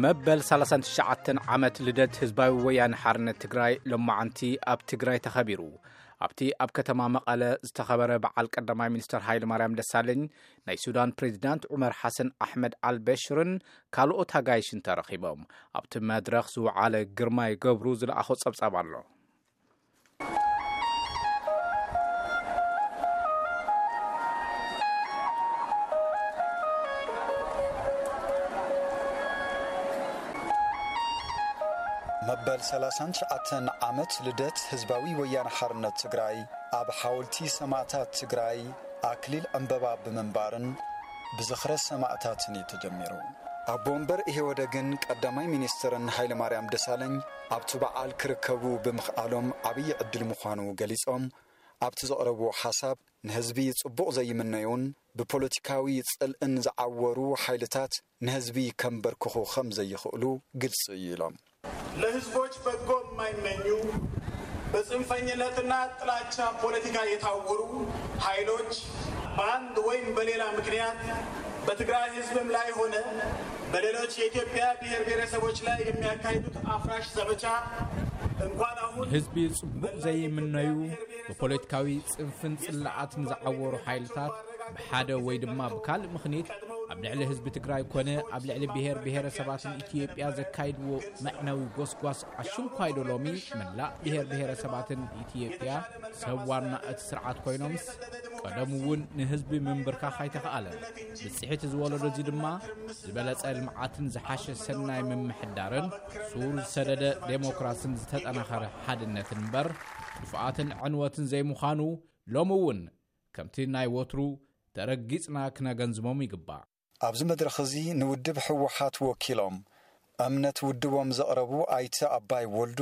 መበል ሰላሳን ትሽዓተን ዓመት ልደት ህዝባዊ ወያነ ሓርነት ትግራይ ሎማዓንቲ ኣብ ትግራይ ተኸቢሩ። ኣብቲ ኣብ ከተማ መቐለ ዝተኸበረ በዓል ቀዳማይ ሚኒስትር ሃይለማርያም ደሳለኝ፣ ናይ ሱዳን ፕሬዚዳንት ዑመር ሓሰን ኣሕመድ ኣልበሽርን ካልኦት ኣጋይሽን ተረኺቦም። ኣብቲ መድረኽ ዝወዓለ ግርማይ ገብሩ ዝለኣኾ ጸብጻብ ኣሎ። መበል ሰላሳን ትሽዓተን ዓመት ልደት ህዝባዊ ወያነ ሓርነት ትግራይ ኣብ ሓወልቲ ሰማእታት ትግራይ ኣክሊል ዕምበባ ብምንባርን ብዝኽረ ሰማእታትን እዩ ተጀሚሩ። ኣቦ ወንበር ኢህወደግን ቀዳማይ ሚኒስትርን ሃይለማርያም ደሳለኝ ኣብቲ በዓል ክርከቡ ብምኽኣሎም ዓብዪ ዕድል ምዃኑ ገሊጾም፣ ኣብቲ ዘቕረብዎ ሓሳብ ንህዝቢ ጽቡቕ ዘይምነዩን ብፖለቲካዊ ጽልእን ዝዓወሩ ሓይልታት ንህዝቢ ከንበርክኹ ከም ዘይኽእሉ ግልጺ እዩ ኢሎም። ለህዝቦች በጎ የማይመኙ፣ በጽንፈኝነትና ጥላቻ ፖለቲካ የታወሩ ኃይሎች በአንድ ወይም በሌላ ምክንያት በትግራይ ህዝብም ላይ ሆነ በሌሎች የኢትዮጵያ ብሔር ብሔረሰቦች ላይ የሚያካሂዱት አፍራሽ ዘመቻ እንኳን አሁን ንህዝቢ ጽቡቕ ዘይምነዩ፣ ብፖለቲካዊ ጽንፍን ጽላኣትን ዝዓወሩ ሓይልታት ብሓደ ወይ ድማ ብካልእ ምኽንያት ኣብ ልዕሊ ህዝቢ ትግራይ ኮነ ኣብ ልዕሊ ብሔር ብሔረሰባትን ኢትዮጵያ ዘካይድዎ መዕነዊ ጎስጓስ ኣሽንኳይ ዶ ሎሚ መላእ ብሔር ብሔረሰባትን ኢትዮጵያ ሰብ ዋና እቲ ስርዓት ኮይኖምስ ቀደም እውን ንህዝቢ ምንብርካኽ ኣይተኽኣለን። ብፅሒት እዚ ወለዶ እዚ ድማ ዝበለፀ ልምዓትን ዝሓሸ ሰናይ ምምሕዳርን ሱር ዝሰደደ ዴሞክራስን ዝተጠናኸረ ሓድነትን እምበር ጥፍኣትን ዕንወትን ዘይምዃኑ ሎሚ እውን ከምቲ ናይ ወትሩ ተረጊጽና ክነገንዝቦም ይግባእ። ኣብዚ መድረኽ እዚ ንውድብ ህወሓት ወኪሎም እምነት ውድቦም ዘቕረቡ ኣይተ ኣባይ ወልዱ፣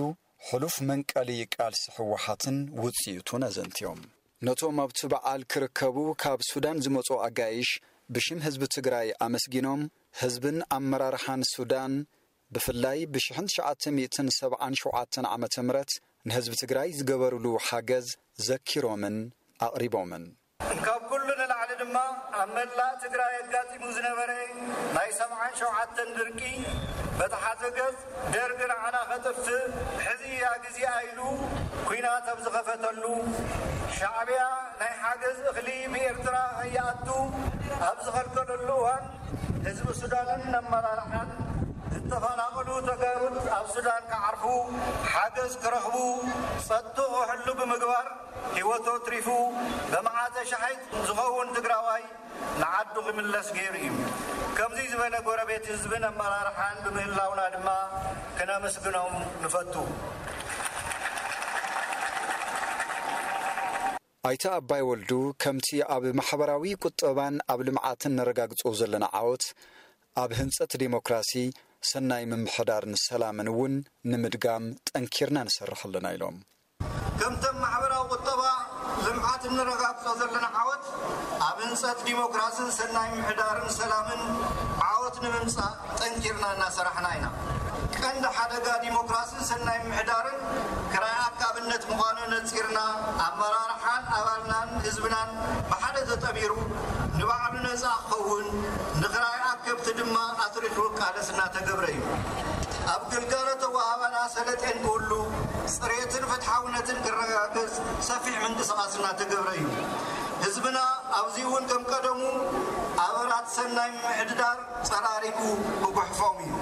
ሕሉፍ መንቀሊ ቃልሲ ህወሓትን ውጽኢቱን ኣዘንትዮም። ነቶም ኣብቲ በዓል ክርከቡ ካብ ሱዳን ዝመጹ ኣጋይሽ ብሽም ህዝቢ ትግራይ ኣመስጊኖም፣ ህዝብን ኣመራርሓን ሱዳን ብፍላይ ብሽሕን ትሽዓተ ሚእትን ሰብዓን ሸውዓተን ዓመተ ምህረት ንህዝቢ ትግራይ ዝገበሩሉ ሓገዝ ዘኪሮምን ኣቕሪቦምን። ካብ ኩሉ ንላዕሊ ድማ ኣብ መላእ ትግራይ ኣጋጢሙ ዝነበረ ናይ ሰብዓን ሸውዓተን ድርቂ በቲ ሓደ ገጽ ደርጊ ንዓና ከጥፍእ ሕዚ እያ ግዜኣ ኢሉ ኲናት ኣብ ዝኸፈተሉ፣ ሻዕብያ ናይ ሓገዝ እኽሊ ብኤርትራ ከይኣቱ ኣብ ዝኸልከለሉ እዋን ህዝቢ ሱዳንን ኣመራርሓን ዝተፈናቐሉ ተጋሩት ኣብ ሱዳን ክዓርፉ ሓገዝ ክረኽቡ ጸጥትኡ ክሕሉ ብምግባር ህይወቱ ኣትሪፉ ብመዓተ ሸሓይት ዝኸውን ትግራዋይ ንዓዱ ክምለስ ገይሩ እዩ። ከምዚ ዝበለ ጎረቤት ህዝብን ኣመራርሓን ብምህላውና ድማ ክነመስግኖም ንፈቱ። ኣይተ ኣባይ ወልዱ ከምቲ ኣብ ማሕበራዊ ቁጠባን ኣብ ልምዓትን ነረጋግጾ ዘለና ዓወት ኣብ ህንጸት ዴሞክራሲ፣ ሰናይ ምምሕዳርን ሰላምን እውን ንምድጋም ጠንኪርና ንሰርሕ ኣለና ኢሎም። ከምተም ማሕበራዊ ቁጠባ ልምዓት እንረጋግጾ ዘለና ዓወት ኣብ ህንጸት ዲሞክራስን ሰናይ ምሕዳርን ሰላምን ዓወት ንምምጻእ ጠንኪርና እናሰራሕና ኢና። ቀንዲ ሓደጋ ዲሞክራስን ሰናይ ምሕዳርን ክራይ ኣካብነት ምዃኑ ነጺርና ኣመራርሓን ኣባልናን ህዝብናን ብሓደ ተጠሚሩ ንባዕሉ ነጻ ክኸውን ንክራይ ኣከብቲ ድማ ኣትሪፉ ቃለስ እናተገብረ እዩ። ኣብ ግልጋሎት ኣወሃህባና ሰለጤን ክህሉ፣ ጽሬትን ፍትሓውነትን ክረጋገጽ ሰፊሕ ምንቅስቓስ እናተገብረ እዩ። ህዝብና ኣብዚ እውን ከም ቀደሙ ኣበራት ሰናይ ምምሕድዳር ጸራሪጉ ክጉሕፎም እዩ።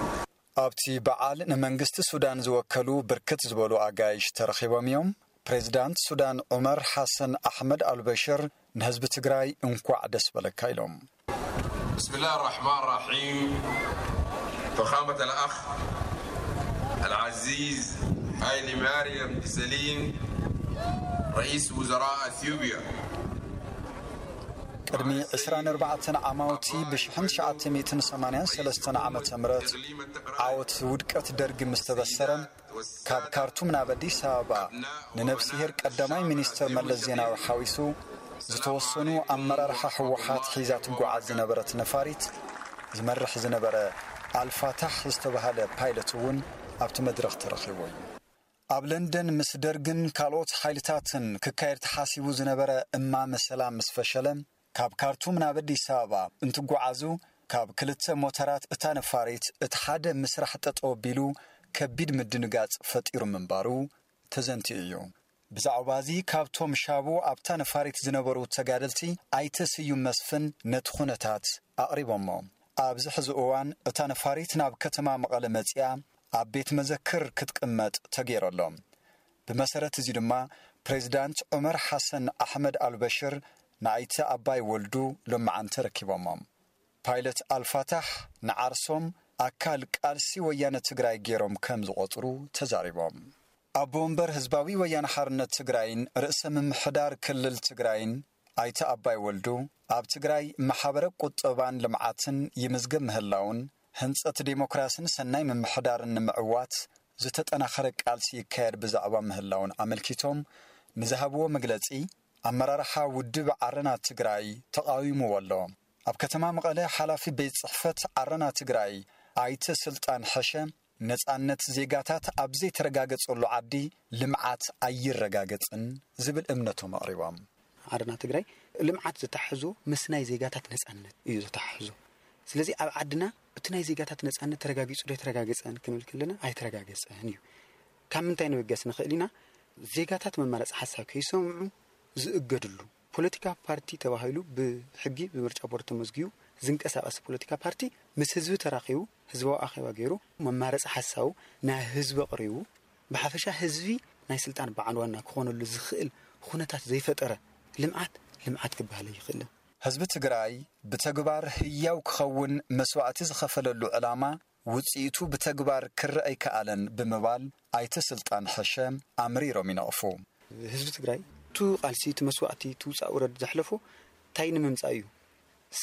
ኣብቲ በዓል ንመንግስቲ ሱዳን ዝወከሉ ብርክት ዝበሉ ኣጋይሽ ተረኺቦም እዮም። ፕሬዚዳንት ሱዳን ዑመር ሓሰን ኣሕመድ ኣልበሽር ንህዝቢ ትግራይ እንኳዕ ደስ በለካ ኢሎም። بسم الله الرحمن الرحيم. فخامة الأخ العزيز هايلي ماريام ديسالين، رئيس وزراء أثيوبيا. ቅድሚ ዕስራን ኣርባዕተን ዓማውቲ ብሽሕን ትሽዓተ ሚእትን ሰማንያን ሰለስተን ዓመተ ምህረት ዓወት ውድቀት ደርጊ ምስ ተበሰረ፣ ካብ ካርቱም ናብ ኣዲስ ኣበባ ንነብስሄር ቀዳማይ ሚኒስትር መለስ ዜናዊ ሓዊሱ ዝተወሰኑ ኣመራርሓ ህወሓት ሒዛ ትጓዓዝ ዝነበረት ነፋሪት ዝመርሕ ዝነበረ ኣልፋታሕ ዝተባህለ ፓይለት እውን ኣብቲ መድረኽ ተረኺቡ እዩ። ኣብ ለንደን ምስ ደርግን ካልኦት ሓይልታትን ክካየድ ተሓሲቡ ዝነበረ እማመ ሰላም ምስ ፈሸለ፣ ካብ ካርቱም ናብ ኣዲስ ኣበባ እንትጓዓዙ ካብ ክልተ ሞተራት እታ ነፋሪት እቲ ሓደ ምስራሕ ጠጠው ኣቢሉ ከቢድ ምድንጋጽ ፈጢሩ ምንባሩ ተዘንትዩ እዩ። ብዛዕባ እዚ ካብቶም ሻቡ ኣብታ ነፋሪት ዝነበሩ ተጋደልቲ ኣይተ ስዩም መስፍን ነቲ ኩነታት ኣቕሪቦሞ። ኣብዚ ሕዚ እዋን እታ ነፋሪት ናብ ከተማ መቐለ መጺኣ ኣብ ቤት መዘክር ክትቅመጥ ተገይሩ ኣሎ። ብመሰረት እዚ ድማ ፕሬዚዳንት ዑመር ሓሰን ኣሕመድ ኣልበሽር ንኣይተ ኣባይ ወልዱ ሎምዓንቲ ረኪቦሞም። ፓይለት ኣልፋታሕ ንዓርሶም ኣካል ቃልሲ ወያነ ትግራይ ገይሮም ከም ዝቖጽሩ ተዛሪቦም። ኣቦ ወንበር ህዝባዊ ወያነ ሓርነት ትግራይን ርእሰ ምምሕዳር ክልል ትግራይን ኣይተ ኣባይ ወልዱ ኣብ ትግራይ ማሕበረ ቁጠባን ልምዓትን ይምዝገብ ምህላውን ህንጸት ዴሞክራስን ሰናይ ምምሕዳርን ንምዕዋት ዝተጠናኸረ ቃልሲ ይካየድ ብዛዕባ ምህላውን ኣመልኪቶም ንዝሃብዎ መግለጺ ኣመራርሓ ውድብ ዓረና ትግራይ ተቓዊምዎ ኣሎ። ኣብ ከተማ መቐለ ሓላፊ ቤት ጽሕፈት ዓረና ትግራይ ኣይተ ስልጣን ሕሸ ነጻነት ዜጋታት ኣብ ዘይተረጋገጸሉ ዓዲ ልምዓት ኣይረጋገጽን ዝብል እምነቶም ኣቕሪቦም። ዓረና ትግራይ ልምዓት ዝተሓሕዞ ምስ ናይ ዜጋታት ነጻነት እዩ ዝተሓሕዞ። ስለዚ ኣብ ዓድና እቲ ናይ ዜጋታት ነጻነት ተረጋጊጹ ዶ ኣይተረጋገጸን ክንብል ከለና ኣይተረጋገጸን እዩ። ካብ ምንታይ ንብገስ ንኽእል ኢና? ዜጋታት መማረፂ ሓሳብ ከይሰምዑ ዝእገድሉ፣ ፖለቲካ ፓርቲ ተባሂሉ ብሕጊ ብምርጫ ቦርድ ተመዝጊቡ ዝንቀሳቐስ ፖለቲካ ፓርቲ ምስ ህዝቢ ተራኺቡ ህዝባዊ ኣኼባ ገይሩ መማረፂ ሓሳቡ ናይ ህዝቢ ኣቕሪቡ ብሓፈሻ ህዝቢ ናይ ስልጣን በዓል ዋና ክኾነሉ ዝኽእል ኩነታት ዘይፈጠረ ልምዓት ልምዓት ክበሃል ኣይኽእልን። ህዝቢ ትግራይ ብተግባር ህያው ክኸውን መስዋእቲ ዝኸፈለሉ ዕላማ ውፅኢቱ ብተግባር ክረአ ኣይከኣለን ብምባል ኣይተ ስልጣን ሕሸ ኣምሪሮም ይነቕፉ። ህዝቢ ትግራይ እቲ ቃልሲ እቲ መስዋእቲ እቲ ውፃእ ውረድ ዘሕለፎ እንታይ ንምምፃእ እዩ?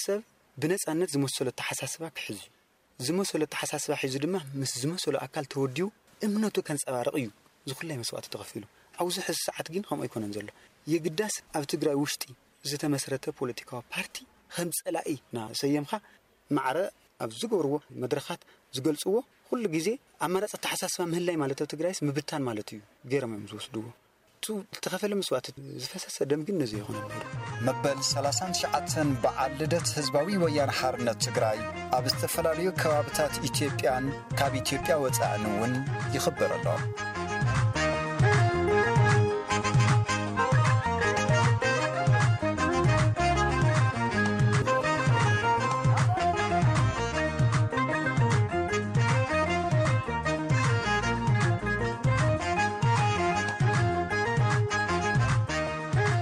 ሰብ ብነፃነት ዝመሰሎ ኣተሓሳስባ ክሕዝ እዩ። ዝመሰሎ ኣተሓሳስባ ሒዙ ድማ ምስ ዝመሰሎ ኣካል ተወዲቡ እምነቱ ከንፀባርቕ እዩ ዝኩላይ መስዋእቲ ተኸፊሉ። ኣብዚ ሕዚ ሰዓት ግን ከምኡ ኣይኮነን ዘሎ። የግዳስ ኣብ ትግራይ ውሽጢ ዝተመስረተ ፖለቲካዊ ፓርቲ ከም ፀላኢ እናሰየምካ ማዕረ ኣብ ዝገብርዎ መድረኻት ዝገልፅዎ ኩሉ ግዜ ኣማራፂ ኣተሓሳስባ ምህላይ ማለት ኣብ ትግራይስ ምብታን ማለት እዩ ገይሮም እዮም ዝወስድዎ። እቲ ዝተኸፈለ መስዋእቲ ዝፈሰሰ ደም ግን ነዚ ይኾነ ነይሩ። መበል ሰላሳን ትሽዓተን በዓል ልደት ህዝባዊ ወያነ ሓርነት ትግራይ ኣብ ዝተፈላለዩ ከባብታት ኢትዮጵያን ካብ ኢትዮጵያ ወፃእን እውን ይኽበር ኣሎ።